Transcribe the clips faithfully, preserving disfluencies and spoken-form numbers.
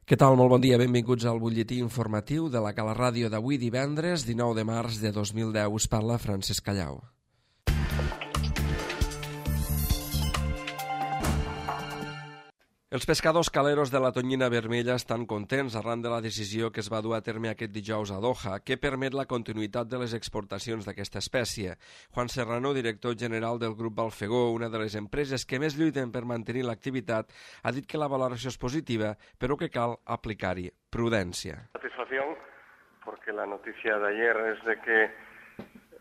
Què tal? Molt bon dia. Benvinguts al butlletí informatiu de la Cala Ràdio d'avui divendres, dinou de març de dos mil deu. Us parla Francesc Callau. Els pescadors caleros de la tonyina vermella estan contents arran de la decisió que es va dur a terme aquest dijous a Doha, que permet la continuïtat de les exportacions d'aquesta espècie. Juan Serrano, director general del grup Balfegó, una de les empreses que més lluiten per mantenir l'activitat, ha dit que la valoració és positiva, però que cal aplicar-hi prudència. Satisfacción, porque la noticia de ayer es de que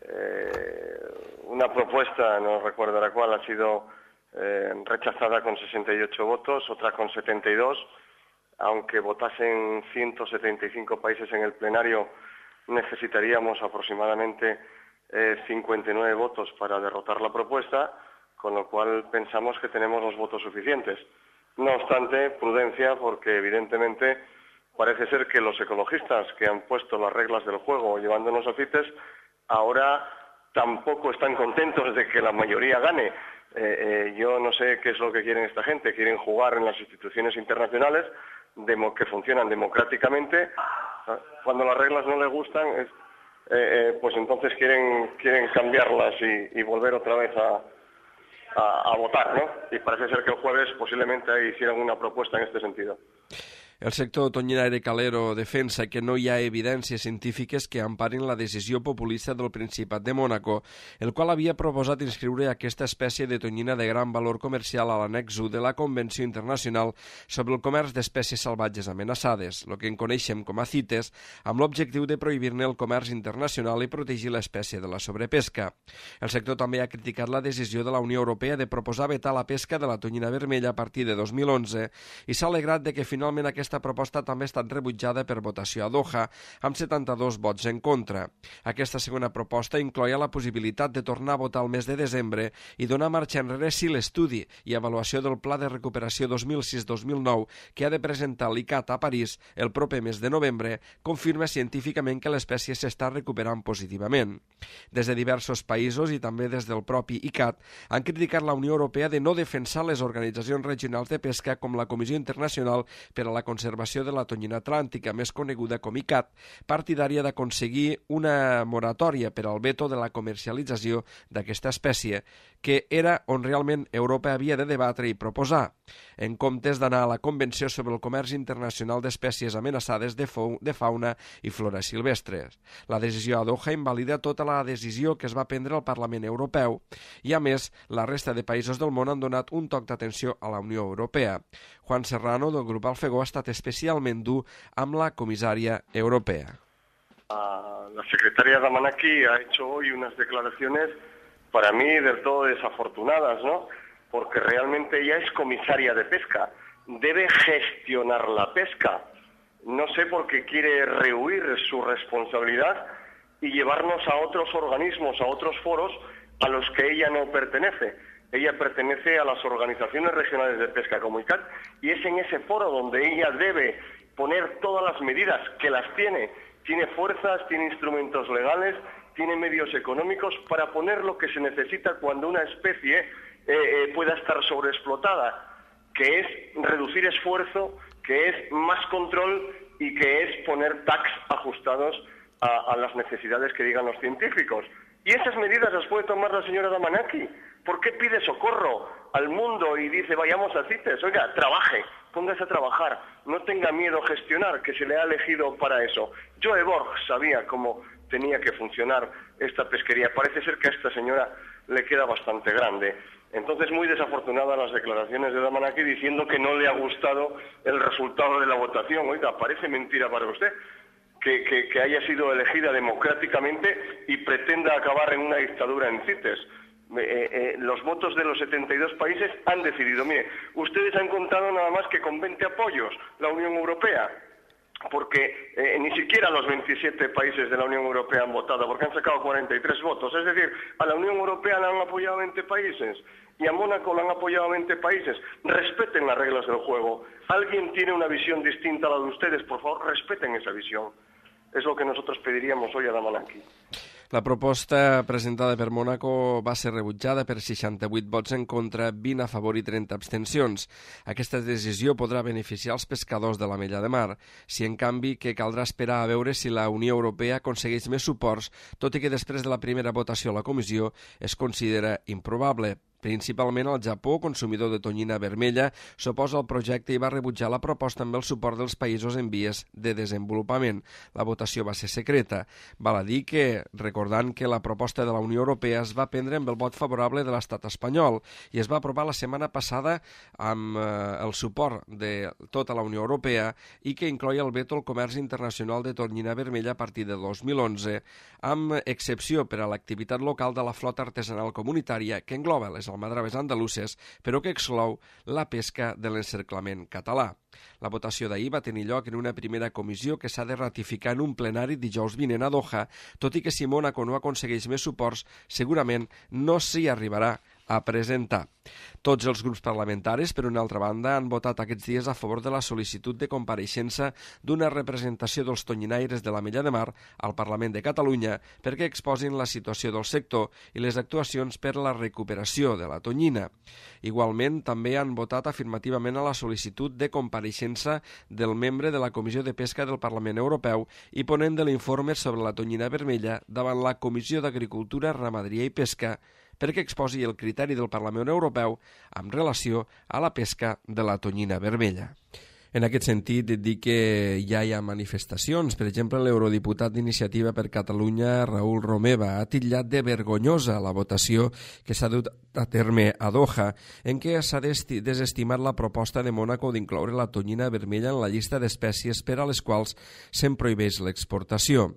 eh, una propuesta, no recuerdo la cual, ha sido Eh, rechazada con sesenta y ocho votos, otra con setenta y dos, aunque votasen ciento setenta y cinco países en el plenario, necesitaríamos aproximadamente eh, cincuenta y nueve votos para derrotar la propuesta, con lo cual pensamos que tenemos los votos suficientes. No obstante, prudencia, porque evidentemente parece ser que los ecologistas que han puesto las reglas del juego llevándonos a CITES, ahora tampoco están contentos de que la mayoría gane. Eh, eh, yo no sé qué es lo que quieren esta gente. Quieren jugar en las instituciones internacionales demo, que funcionan democráticamente. Cuando las reglas no les gustan, es, eh, eh, pues entonces quieren quieren cambiarlas y, y volver otra vez a, a, a votar, ¿no? Y parece ser que el jueves posiblemente hicieran una propuesta en este sentido. El sector tonyinaire calero defensa que no hi ha evidències científiques que emparin la decisió populista del Principat de Mònaco, el qual havia proposat inscriure aquesta espècie de tonyina de gran valor comercial a l'annex u de la Convenció Internacional sobre el Comerç d'Espècies Salvatges Amenaçades, el que en coneixem com a CITES, amb l'objectiu de prohibir-ne el comerç internacional i protegir l'espècie de la sobrepesca. El sector també ha criticat la decisió de la Unió Europea de proposar vetar la pesca de la tonyina vermella a partir de dos mil onze i s'ha alegrat de que finalment aquesta Aquesta proposta també ha estat rebutjada per votació a Doha, amb setanta-dos vots en contra. Aquesta segona proposta incloïa la possibilitat de tornar a votar el mes de desembre i donar marxa enrere si l'estudi i avaluació del Pla de Recuperació dos mil sis dos mil nou que ha de presentar l'I C A T a París el proper mes de novembre confirma científicament que l'espècie s'està recuperant positivament. Des de diversos països i també des del propi I C A T han criticat la Unió Europea de no defensar les organitzacions regionals de pesca com la Comissió Internacional per a la Conservació de la Tonyina Atlàntica, més coneguda com I C A T, partidària d'aconseguir una moratòria per al veto de la comercialització d'aquesta espècie, que era on realment Europa havia de debatre i proposar, en comptes d'anar a la Convenció sobre el Comerç Internacional d'Espècies Amenaçades de, de Fauna i Flora Silvestres. La decisió a Doha invalida tota la decisió que es va prendre al Parlament Europeu i, a més, la resta de països del món han donat un toc d'atenció a la Unió Europea. Juan Serrano, del grup Alfegó, ha estat especialment dur amb la comisària europea. Uh, la secretaria Damanaki ha hecho hoy unas declaraciones para mí del todo desafortunadas, ¿no? Porque realmente ella es comisaria de pesca, debe gestionar la pesca. No sé por qué quiere rehuir su responsabilidad y llevarnos a otros organismos, a otros foros a los que ella no pertenece. Ella pertenece a las organizaciones regionales de pesca como I C A T y es en ese foro donde ella debe poner todas las medidas, que las tiene. Tiene fuerzas, tiene instrumentos legales, tiene medios económicos para poner lo que se necesita cuando una especie eh, eh, pueda estar sobreexplotada, que es reducir esfuerzo, que es más control y que es poner tacs ajustados a, a las necesidades que digan los científicos. Y esas medidas las puede tomar la señora Damanaki. ¿Por qué pide socorro al mundo y dice vayamos a CITES? Oiga, trabaje, póngase a trabajar, no tenga miedo a gestionar, que se le ha elegido para eso. Joe Borg sabía cómo tenía que funcionar esta pesquería. Parece ser que a esta señora le queda bastante grande. Entonces, muy desafortunadas las declaraciones de Damanaki diciendo que no le ha gustado el resultado de la votación. Oiga, parece mentira para usted. Que, que, que haya sido elegida democráticamente y pretenda acabar en una dictadura en CITES. Eh, eh, los votos de los setenta y dos países han decidido. Mire, ustedes han contado nada más que con veinte apoyos la Unión Europea, porque eh, ni siquiera los veintisiete países de la Unión Europea han votado, porque han sacado cuarenta y tres votos. Es decir, a la Unión Europea la han apoyado veinte países y a Mónaco la han apoyado veinte países. Respeten las reglas del juego. Alguien tiene una visión distinta a la de ustedes, por favor, respeten esa visión. Es lo que nosotros pediríamos hoy a Damanaki. La proposta presentada per Mónaco va ser rebutjada per seixanta-vuit vots en contra, vint a favor i trenta abstencions. Aquesta decisió podrà beneficiar els pescadors de l'Ametlla de Mar, si en canvi que caldrà esperar a veure si la Unió Europea aconsegueix més suports, tot i que després de la primera votació a la comissió es considera improbable. Principalment el Japó, consumidor de tonyina vermella, s'oposa al projecte i va rebutjar la proposta amb el suport dels països en vies de desenvolupament. La votació va ser secreta. Val a dir que, recordant que la proposta de la Unió Europea es va prendre amb el vot favorable de l'estat espanyol i es va aprovar la setmana passada amb eh, el suport de tota la Unió Europea i que incloïa el veto al comerç internacional de tonyina vermella a partir de dos mil onze, amb excepció per a l'activitat local de la flota artesanal comunitària que engloba les almadraves andaluses, però que exclou la pesca de l'encerclament català. La votació d'ahir va tenir lloc en una primera comissió que s'ha de ratificar en un plenari dijous vinent a Doha, tot i que si Mónaco no aconsegueix més suports, segurament no s'hi arribarà a presentar. Tots els grups parlamentaris, per una altra banda, han votat aquests dies a favor de la sol·licitud de compareixença d'una representació dels tonyinaires de l'Ametlla de Mar al Parlament de Catalunya perquè exposin la situació del sector i les actuacions per a la recuperació de la tonyina. Igualment, també han votat afirmativament a la sol·licitud de compareixença del membre de la Comissió de Pesca del Parlament Europeu i ponent de l'informe sobre la tonyina vermella davant la Comissió d'Agricultura, Ramaderia i Pesca perquè exposi el criteri del Parlament Europeu amb relació a la pesca de la tonyina vermella. En aquest sentit, et dic que ja hi ha manifestacions. Per exemple, l'eurodiputat d'Iniciativa per Catalunya, Raül Romeva, ha titllat de vergonyosa la votació que s'ha dut a terme a Doha, en què s'ha desestimat la proposta de Mónaco d'incloure la tonyina vermella en la llista d'espècies per a les quals se'n prohibeix l'exportació.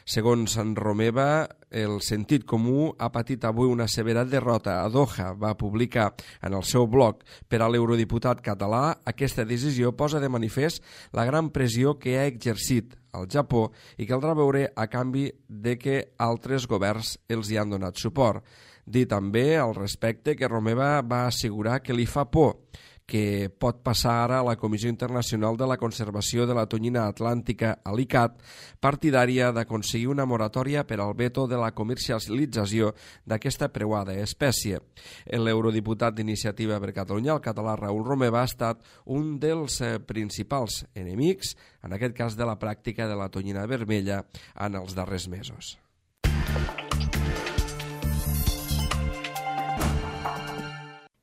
Segons en Romeva, el sentit comú ha patit avui una severa derrota a Doha. Va publicar en el seu blog per a l'eurodiputat català aquesta decisió posa de manifest la gran pressió que ha exercit al Japó i caldrà veure a canvi de que altres governs els hi han donat suport. Dir també al respecte que Romeva va assegurar que li fa por que pot passar ara a la Comissió Internacional de la Conservació de la Tonyina Atlàntica, a l'I C A T, partidària d'aconseguir una moratòria per al veto de la comercialització d'aquesta preuada espècie. L'eurodiputat d'Iniciativa per Catalunya, el català Raül Romeva, ha estat un dels principals enemics, en aquest cas de la pràctica de la tonyina vermella, en els darrers mesos.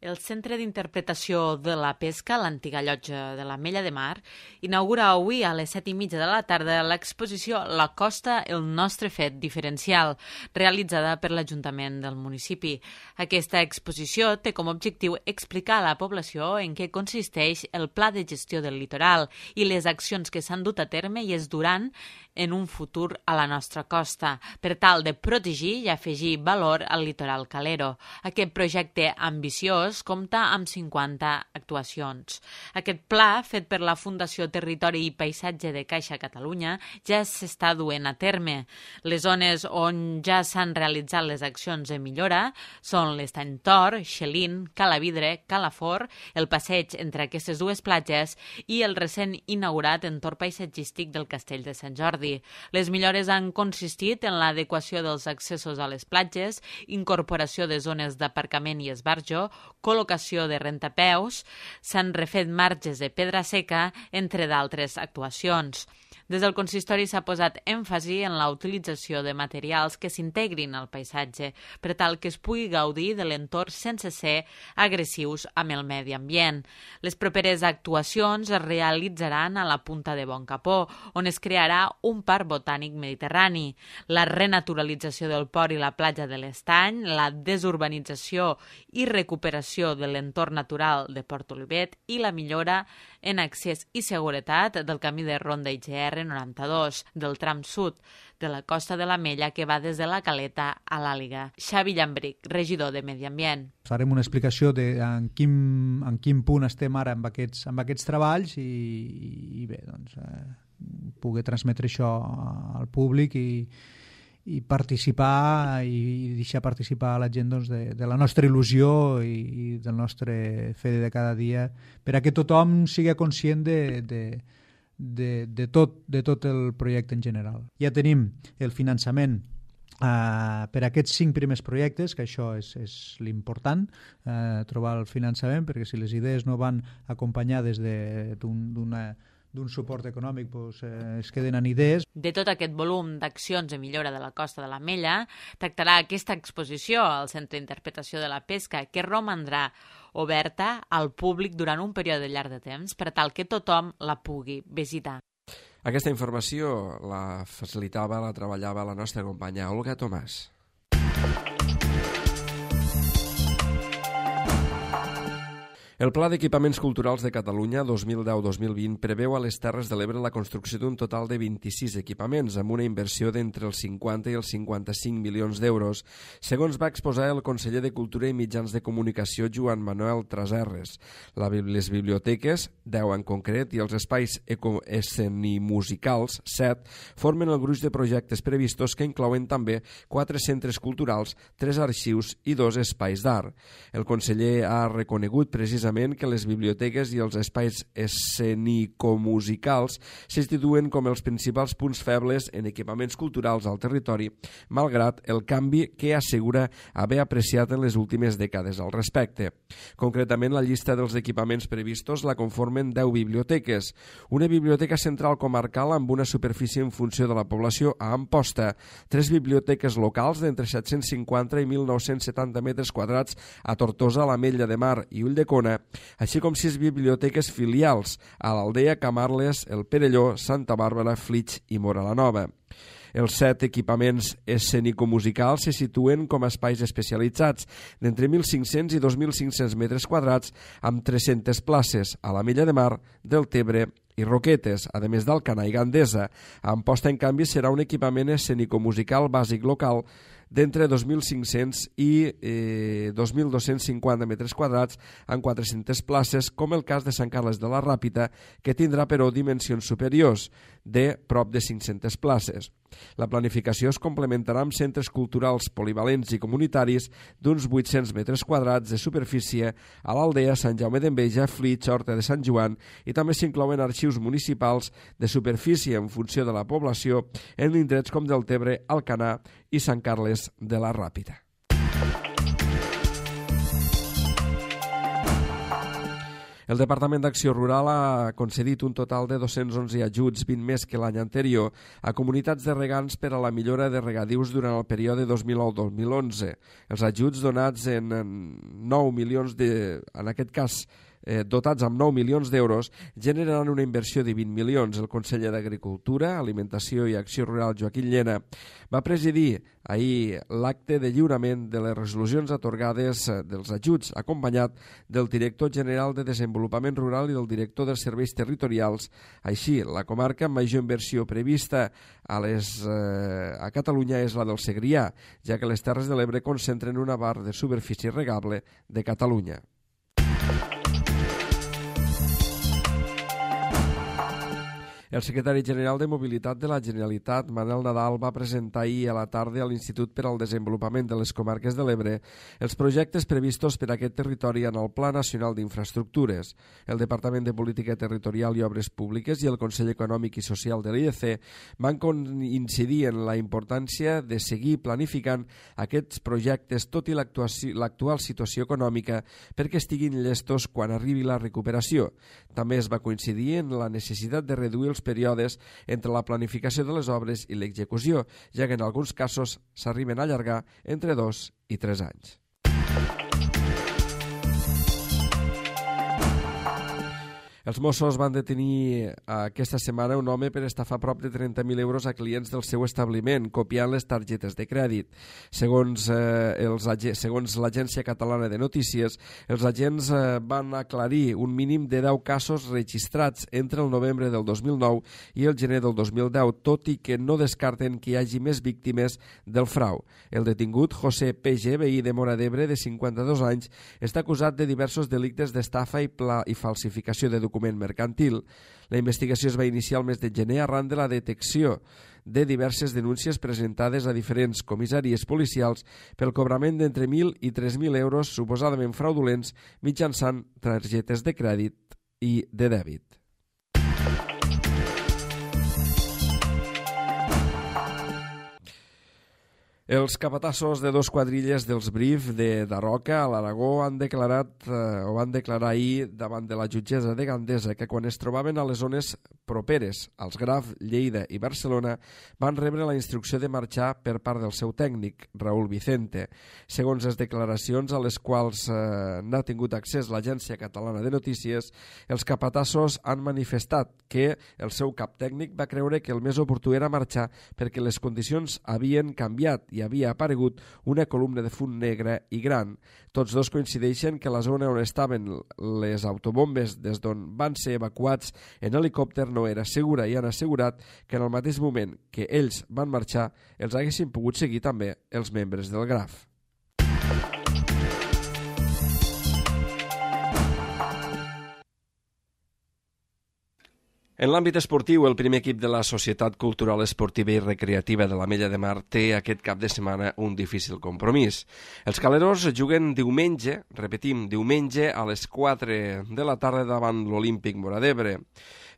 El Centre d'Interpretació de la Pesca, l'antiga llotja de l'Ametlla de Mar, inaugura avui a les set i mitja de la tarda l'exposició La Costa, el nostre fet diferencial, realitzada per l'Ajuntament del municipi. Aquesta exposició té com a objectiu explicar a la població en què consisteix el Pla de Gestió del Litoral i les accions que s'han dut a terme i es duran en un futur a la nostra costa, per tal de protegir i afegir valor al litoral calero. Aquest projecte ambiciós compta amb cinquanta actuacions. Aquest pla, fet per la Fundació Territori i Paisatge de Caixa Catalunya, ja s'està duent a terme. Les zones on ja s'han realitzat les accions de millora són l'Estany Tor, Xelín, Calavidre, Calafort, el passeig entre aquestes dues platges i el recent inaugurat entorn paisatgístic del Castell de Sant Jordi. Les millores han consistit en l'adequació dels accessos a les platges, incorporació de zones d'aparcament i esbarjo, col·locació de rentapeus, s'han refet marges de pedra seca, entre d'altres actuacions. Des del consistori s'ha posat èmfasi en la utilització de materials que s'integrin al paisatge, per tal que es pugui gaudir de l'entorn sense ser agressius amb el medi ambient. Les properes actuacions es realitzaran a la Punta de Boncapó, on es crearà un parc botànic mediterrani, la renaturalització del port i la platja de l'Estany, la desurbanització i recuperació de l'entorn natural de Port Olivet i la millora en accés i seguretat del camí de Ronda I G R noranta-dos, del tram sud de la Costa de l'Ametlla que va des de la Caleta a l'Àliga. Xavi Llambric, regidor de Medi Ambient. Farem una explicació de en quin, en quin punt estem ara amb aquests, amb aquests treballs i, i bé, doncs, eh, poder transmetre això al públic i, i participar i deixar participar a la gent doncs, de, de la nostra il·lusió i, i del nostre fer de cada dia per a que tothom sigui conscient de, de, de, de, tot, de tot el projecte en general. Ja tenim el finançament Uh, per aquests cinc primers projectes, que això és, és l'important, uh, trobar el finançament, perquè si les idees no van acompanyades d'un d'un suport econòmic, doncs, eh, es queden en idees. De tot aquest volum d'accions de millora de la costa de l'Ametlla, tractarà aquesta exposició al Centre d'Interpretació de la Pesca, que romandrà oberta al públic durant un període llarg de temps per tal que tothom la pugui visitar. Aquesta informació la facilitava, la treballava la nostra companya Olga Tomàs. El Pla d'Equipaments Culturals de Catalunya dos mil deu dos mil vint preveu a les Terres de l'Ebre la construcció d'un total de vint-i-sis equipaments amb una inversió d'entre els cinquanta i els cinquanta-cinc milions d'euros, segons va exposar el conseller de Cultura i Mitjans de Comunicació Joan Manuel Traserres. La, les biblioteques, deu en concret, i els espais escenimusicals, set, formen el gruix de projectes previstos que inclouen també quatre centres culturals, tres arxius i dos espais d'art. El conseller ha reconegut precisament que les biblioteques i els espais escenicomusicals s'instituen com els principals punts febles en equipaments culturals al territori, malgrat el canvi que assegura haver apreciat en les últimes dècades al respecte. Concretament, la llista dels equipaments previstos la conformen deu biblioteques, una biblioteca central comarcal amb una superfície en funció de la població a Amposta, tres biblioteques locals d'entre set-cents cinquanta i mil nou-cents setanta metres quadrats a Tortosa, l'Ametlla de Mar i Ulldecona, així com sis biblioteques filials a l'Aldea, Camarles, el Perelló, Santa Bàrbara, Flix i Móra la Nova. Els set equipaments escenicomusicals se situen com a espais especialitzats d'entre mil cinc-cents i dos mil cinc-cents metres quadrats amb tres-centes places a l'Ametlla de Mar, Deltebre i Roquetes, a més d'Alcanar i Gandesa. A Amposta, en canvi, serà un equipament escenicomusical bàsic local d'entre dos mil cinc-cents i eh, dos mil dos-cents cinquanta metres quadrats amb quatre-centes places, com el cas de Sant Carles de la Ràpita, que tindrà però dimensions superiors, de prop de cinc-centes places. La planificació es complementarà amb centres culturals polivalents i comunitaris d'uns vuit-cents metres quadrats de superfície a l'Aldea, Sant Jaume d'Enveja, Flix, Horta de Sant Joan, i també s'inclouen arxius municipals de superfície en funció de la població en indrets com Deltebre, Alcanar i Sant Carles de la Ràpita. El Departament d'Acció Rural ha concedit un total de dos-cents onze ajuts, vint més que l'any anterior, a comunitats de regants per a la millora de regadius durant el període dos mil nou dos mil onze. Els ajuts donats en nou milions de... en aquest cas, Eh, dotats amb nou milions d'euros, generaran una inversió de vint milions. El conseller d'Agricultura, Alimentació i Acció Rural, Joaquim Llena, va presidir ahir l'acte de lliurament de les resolucions atorgades dels ajuts, acompanyat del director general de Desenvolupament Rural i del director dels Serveis Territorials. Així, la comarca amb major inversió prevista a, les, eh, a Catalunya és la del Segrià, ja que les Terres de l'Ebre concentren una part de superfície regable de Catalunya. El secretari general de Mobilitat de la Generalitat, Manel Nadal, va presentar ahir a la tarda a l'Institut per al Desenvolupament de les Comarques de l'Ebre els projectes previstos per a aquest territori en el Pla Nacional d'Infraestructures. El Departament de Política Territorial i Obres Públiques i el Consell Econòmic i Social de l'I E C van incidir en la importància de seguir planificant aquests projectes tot i l'actual situació econòmica perquè estiguin llestos quan arribi la recuperació. També es va coincidir en la necessitat de reduir els períodes entre la planificació de les obres i l'execució, ja que en alguns casos s'arriben a allargar entre dos i tres anys. Els Mossos van detenir aquesta setmana un home per estafar prop de trenta mil euros a clients del seu establiment, copiant les targetes de crèdit. Segons, eh, els, segons l'Agència Catalana de Notícies, els agents eh, van aclarir un mínim de deu casos registrats entre el novembre del dos mil nou i el gener del dos mil deu, tot i que no descarten que hi hagi més víctimes del frau. El detingut, José P G, veí de Móra d'Ebre, de cinquanta-dos anys, està acusat de diversos delictes d'estafa i, pla i falsificació de documents mercantil. La investigació es va iniciar el mes de gener arran de la detecció de diverses denúncies presentades a diferents comissaries policials pel cobrament d'entre mil i tres mil euros suposadament fraudulents mitjançant targetes de crèdit i de dèbit. Els capatassos de dos quadrilles dels Brif de Daroca a l'Aragó han declarat eh, o van declarar ahir davant de la jutgessa de Gandesa que quan es trobaven a les zones properes als Graf, Lleida i Barcelona van rebre la instrucció de marxar per part del seu tècnic, Raúl Vicente. Segons les declaracions a les quals eh, n'ha tingut accés l'Agència Catalana de Notícies, els capatassos han manifestat que el seu cap tècnic va creure que el més oportú era marxar perquè les condicions havien canviat i havia aparegut una columna de fum negre i gran. Tots dos coincideixen que la zona on estaven les autobombes des d'on van ser evacuats en helicòpter no era segura i han assegurat que en el mateix moment que ells van marxar els haguessin pogut seguir també els membres del Graf. En l'àmbit esportiu, el primer equip de la Societat Cultural Esportiva i Recreativa de l'Ametlla de Mar té aquest cap de setmana un difícil compromís. Els caleros juguen diumenge, repetim, diumenge a les quatre de la tarda davant l'Olímpic Móra-d'Ebre.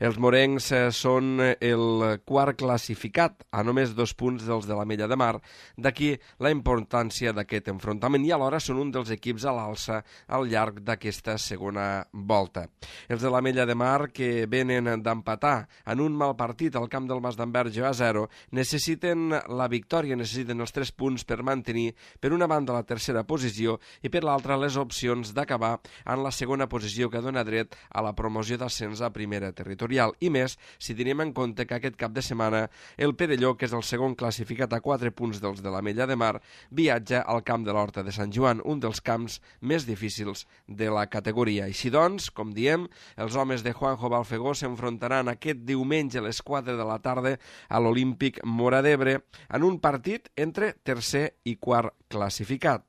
Els morencs són el quart classificat, a només dos punts dels de l'Ametlla de Mar, d'aquí la importància d'aquest enfrontament i alhora són un dels equips a l'alça al llarg d'aquesta segona volta. Els de l'Ametlla de Mar, que venen d'empatar en un mal partit al camp del Mas d'Enverge a zero, necessiten la victòria, necessiten els tres punts per mantenir, per una banda, la tercera posició i per l'altra les opcions d'acabar en la segona posició que dona dret a la promoció d'ascens a primera territorial. I més, si tenim en compte que aquest cap de setmana el Perelló, que és el segon classificat a quatre punts dels de l'Ametlla de Mar, viatja al camp de l'Horta de Sant Joan, un dels camps més difícils de la categoria. Així doncs, com diem, els homes de Juanjo Balfegó s'enfrontaran aquest diumenge a les quatre de la tarda a l'Olímpic Móra-d'Ebre en un partit entre tercer i quart classificat.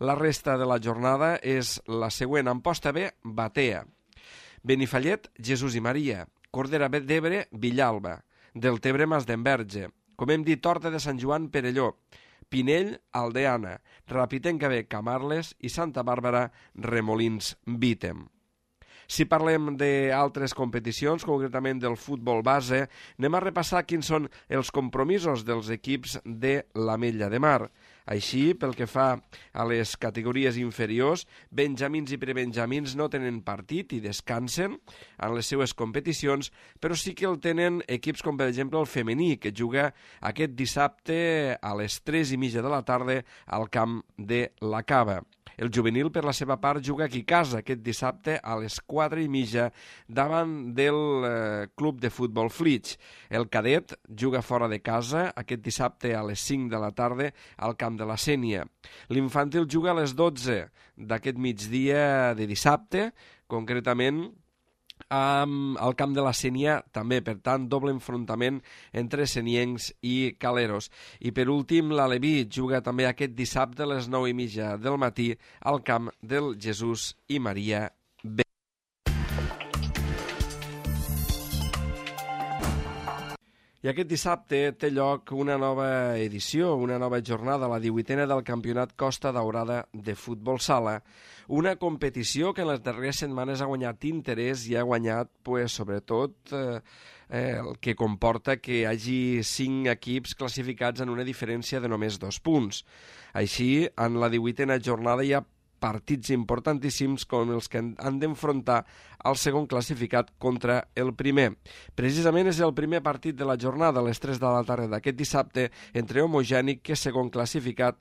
La resta de la jornada és la següent. En posta B, Batea. Benifallet, Jesús i Maria. Cordera d'Ebre, Villalba. Deltebre, Mas d'Enverge. Com hem dit, Horta de Sant Joan, Perelló. Pinell, Aldeana. Rapitenca B, Camarles i Santa Bàrbara, Remolins, Vítem. Si parlem d'altres competicions, concretament del futbol base, anem a repassar quins són els compromisos dels equips de l'Ametlla de Mar. Així, pel que fa a les categories inferiors, benjamins i prebenjamins no tenen partit i descansen en les seues competicions, però sí que el tenen equips com, per exemple, el femení, que juga aquest dissabte a les tres i mitja de la tarda al camp de la Cava. El juvenil, per la seva part, juga aquí a casa aquest dissabte a les quatre i mitja davant del eh, club de futbol Flix. El cadet juga fora de casa aquest dissabte a les cinc de la tarda al camp de la Sénia. L'infantil juga a les dotze d'aquest migdia de dissabte, concretament Um, al camp de la Sénia també, per tant, doble enfrontament entre seniencs i caleros. I per últim, l'Aleví juga també aquest dissabte a les nou i mitja del matí al camp del Jesús i Maria B. I aquest dissabte té lloc una nova edició, una nova jornada, la divuitena del Campionat Costa Daurada de Futbol Sala, una competició que en les darreres setmanes ha guanyat interès i ha guanyat, pues, sobretot, eh, eh, el que comporta que hi hagi cinc equips classificats en una diferència de només dos punts. Així, en la divuitena jornada hi ha partits importantíssims com els que han d'enfrontar el segon classificat contra el primer. Precisament és el primer partit de la jornada a les tres de la tarda d'aquest dissabte entre Homogènic, que és segon classificat,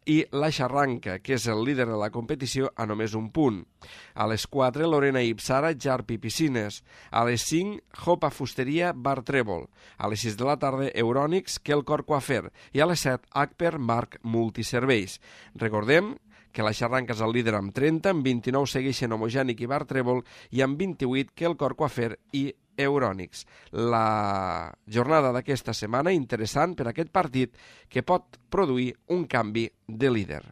i la Xarranca, que és el líder de la competició, a només un punt. A les quatre, Lorena i Ipsara, Jarp i Piscines. A les cinc, Jopa Fusteria, Bar Trèvol. A les sis de la tarda, Eurònics, Quelcor Coafer. I a les set, Acper, Marc Multiserveis. Recordem que la Xarranca és el líder amb trenta, amb vint-i-nou segueixen Homogènic i Bar Trèvol i amb vint-i-vuit Quelcor Coafer i Eurònics. La jornada d'aquesta setmana interessant per aquest partit que pot produir un canvi de líder.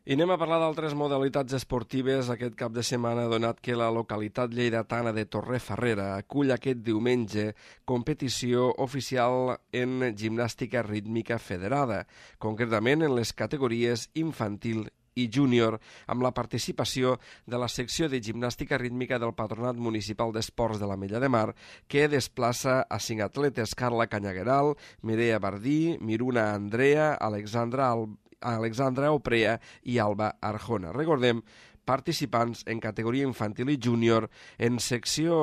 I anem a parlar d'altres modalitats esportives aquest cap de setmana, donat que la localitat lleidatana de Torrefarrera acull aquest diumenge competició oficial en gimnàstica rítmica federada, concretament en les categories infantil i júnior, amb la participació de la secció de gimnàstica rítmica del Patronat Municipal d'Esports de l'Ametlla de Mar, que desplaça a cinc atletes: Carla Canyagueral, Mireia Bardí, Miruna Andrea, Alexandra, Al... Alexandra Oprea i Alba Arjona. Recordem, participants en categoria infantil i júnior, en secció,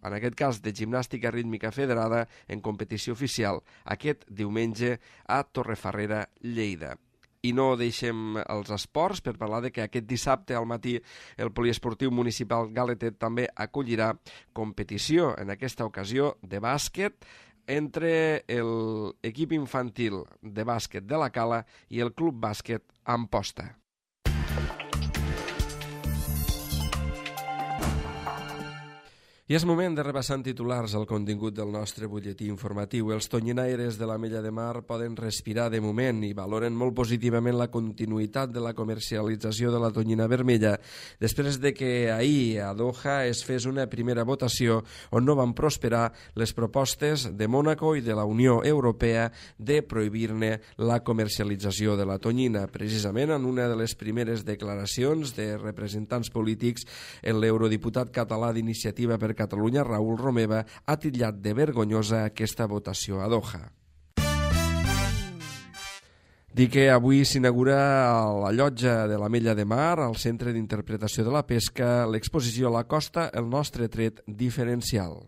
en aquest cas, de gimnàstica rítmica federada en competició oficial, aquest diumenge a Torrefarrera, Lleida. I no deixem els esports per parlar de que aquest dissabte al matí el Poliesportiu Municipal Galetet també acollirà competició, en aquesta ocasió de bàsquet, entre l'equip infantil de bàsquet de la Cala i el Club Bàsquet Amposta. I és moment de repassar en titulars el contingut del nostre butlletí informatiu. Els tonyinaires de l'Ametlla de Mar poden respirar de moment i valoren molt positivament la continuïtat de la comercialització de la tonyina vermella després de que ahir a Doha es fes una primera votació on no van prosperar les propostes de Mònaco i de la Unió Europea de prohibir-ne la comercialització de la tonyina. Precisament en una de les primeres declaracions de representants polítics, l'eurodiputat català d'Iniciativa per Catalunya, Raül Romeva, ha titllat de vergonyosa aquesta votació a Doha. Dir que avui s'inaugura a la llotja de l'Ametlla de Mar, al Centre d'Interpretació de la Pesca, l'exposició a la costa, el nostre tret diferencial.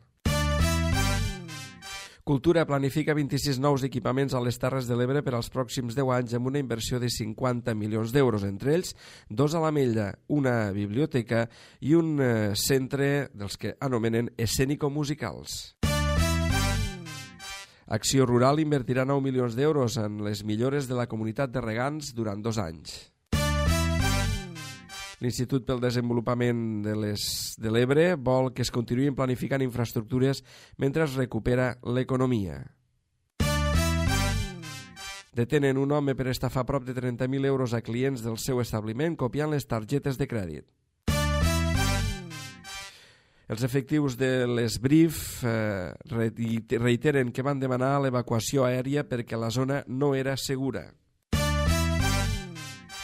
Cultura planifica vint-i-sis nous equipaments a les Terres de l'Ebre per als pròxims deu anys amb una inversió de cinquanta milions d'euros, entre ells dos a l'Ametlla, una biblioteca i un centre dels que anomenen escènico-musicals. Acció Rural invertirà nou milions d'euros en les millores de la comunitat de regants durant dos anys. L'Institut pel Desenvolupament de l'Ebre vol que es continuïn planificant infraestructures mentre es recupera l'economia. Detenen un home per estafar prop de trenta mil euros a clients del seu establiment copiant les targetes de crèdit. Els efectius de l'Esbrif eh, reiteren que van demanar l'evacuació aèria perquè la zona no era segura.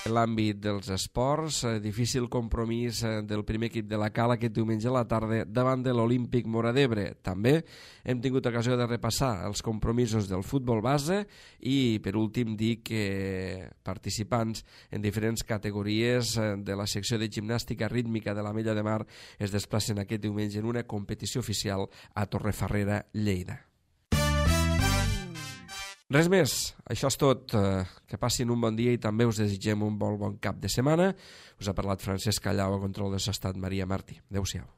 En l'àmbit dels esports, difícil compromís del primer equip de la Cala aquest diumenge a la tarda davant de l'Olímpic Móra d'Ebre. També hem tingut ocasió de repassar els compromisos del futbol base i, per últim, dir que participants en diferents categories de la secció de gimnàstica rítmica de l'Ametlla de Mar es desplacen aquest diumenge en una competició oficial a Torrefarrera, Lleida. Res més, això és tot. Que passin un bon dia i també us desitgem un bon bon cap de setmana. Us ha parlat Francesc Callau, a control de l'estat Maria Martí. Adéu-siau.